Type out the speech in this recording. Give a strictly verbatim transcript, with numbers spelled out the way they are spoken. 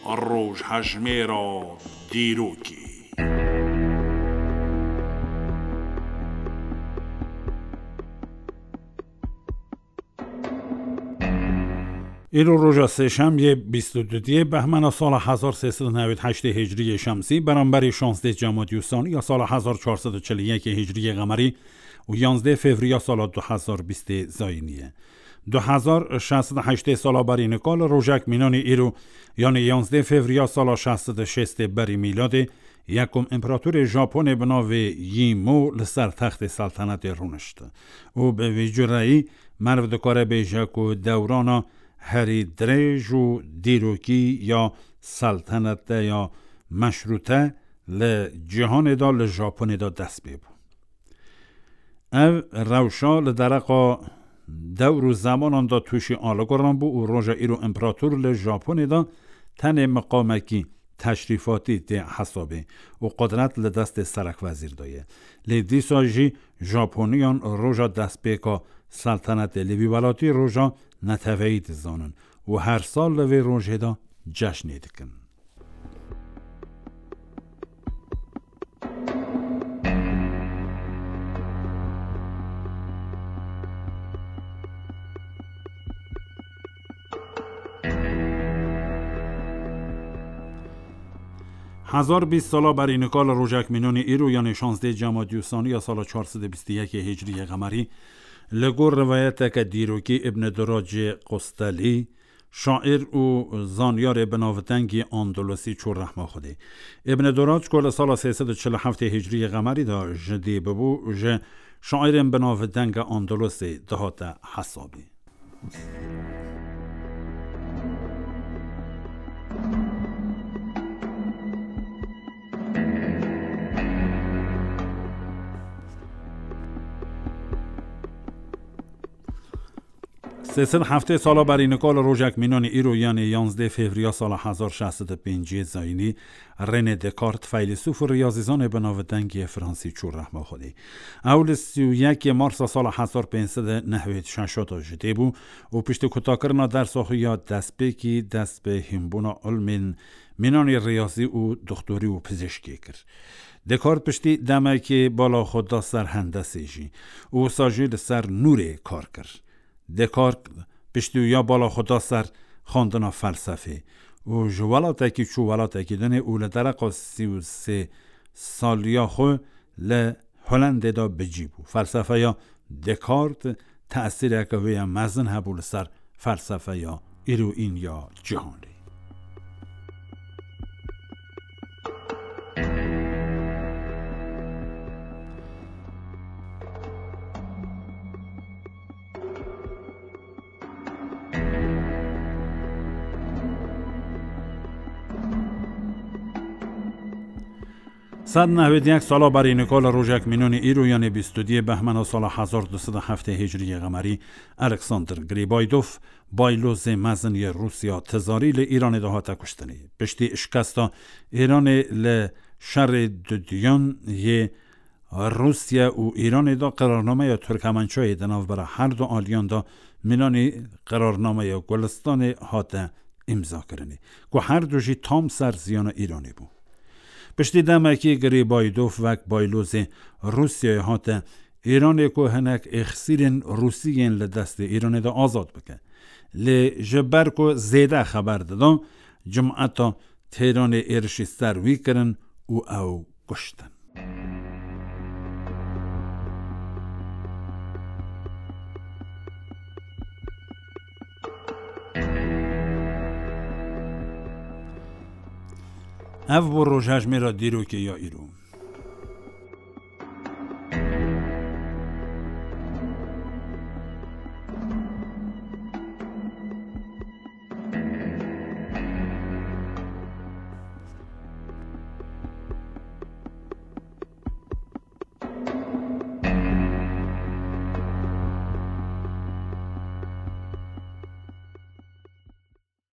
Rojhejmêra dîrokê. Îro roja sêşemiyê, bîst û duyê behmena sala hezar sê sed û newêd heştê hicriyê şemsî, beramberî şazdê Cemadî Ussanî ya sala hezar çar sed û çil û yekê hicriyê qemerî û yanzdê fevriya sala du hezar bîstê zayînî ye. Du hezar şeş sed û heştê sala berî nika li rojek mînanî îro, yanî yanzdê fevriya sala şeş sed û şêstê berî mîladê, yekom împeratorê Japonê bi navê Yîmo li ser textê seltenetê rûnişt û bi vî cureyî merv dikare bêje ku dewrana herî dirêj û dîrokî ya seltenete ya meşrûte li cîhanê de, li Japonê de dest pê bû. Ev rewşa li dereqa dewr û zemanan de tûşî aliguran bû û roja îro împerator li Japonê de tenê miqamekî teşrîfatî tê hesabê û qudret li destê serekwezîr de ye. Lê dîsa jî Japoniyan roja destpêka seltenetê li vî welatî roja neteweyî dizanin û her sal li vê rojê de ceşnê dikin. Hezar bîst sala berî nika li rojek mînanî îro, yanê şazdê Cemadî Ussanî ya sala çar sed û bîst û yekê hicriyê qemerî, li gor rivayeteke dîrokî Îbn Duracê Qustelî, şaîr û zanyarê binavdengî Andalusî çû rehma Xwedê. Îbn Durac ku li sala sê sed û çil û heftê hicriyê qemerî de ji dî bibû, ji şaîrên binavdenge Andalusê dihate hesabê. Sê sed heftê sala berî nika li rojek mînanî îro, yanê yanzdê fevriya sala hezar şeş sed û pêncî zayînî, René Descartes, feylesûf û riyazîzanê binavdeng yê Fransî çû rehma Xwedê. Ew li sî û yekê Marsa sala hezar pênc sed û nehwêd şeşa de ji dê bû û piştî kutakirina dersa xwe ya destpêkî dest bi hînbûna ilmên mînanî riyazî û doxtorî û pizîşkê kir. Descartes piştî demekê bala xwe da ser hendesê jî û wisa jî li ser nûrê kar kir. Descartes piştî wî ya bala xwe da ser xwendina felsefê û ji welatekî çû welatekî dinê û li dereqa sî û sê saliya xwe li Holendê de bi cî bû. Felsefeya Descartes tesîreke wê ya mezin hebû li ser felsefeya îroîn ya cîhanê. Sed nehwêd yek sala berî nika li rojek mînonî îro, yanê bîst û duyê behmena sala hezar du sed û heftê hicriyê qemerî, Alexander Gribaydov, baylozê mezin yê Rûsya tizarî li Îranê de hate kuştinê. Piştî şikesta Îranê li şerê duduyan yê Rûsya û Îranê de qirarnameya Turkmençayê di navbera her du aliyan de mînanî qirarnameya Gulistanê hate îmzakirinê, ku her du jî tam ser ziyana Îranê bû. Piştî demekî Gribaydov wek baylozê Rûsyayê hate Îranê ku hinek êxsîrên Rûsî yên li destê Îranê de azad bike. Lê ji ber ku zêde xeber dida, cumeta Têranê êrişî ser wî kirin û ew kuştin. Ev bû rojhejmêra dîrokê ya îro.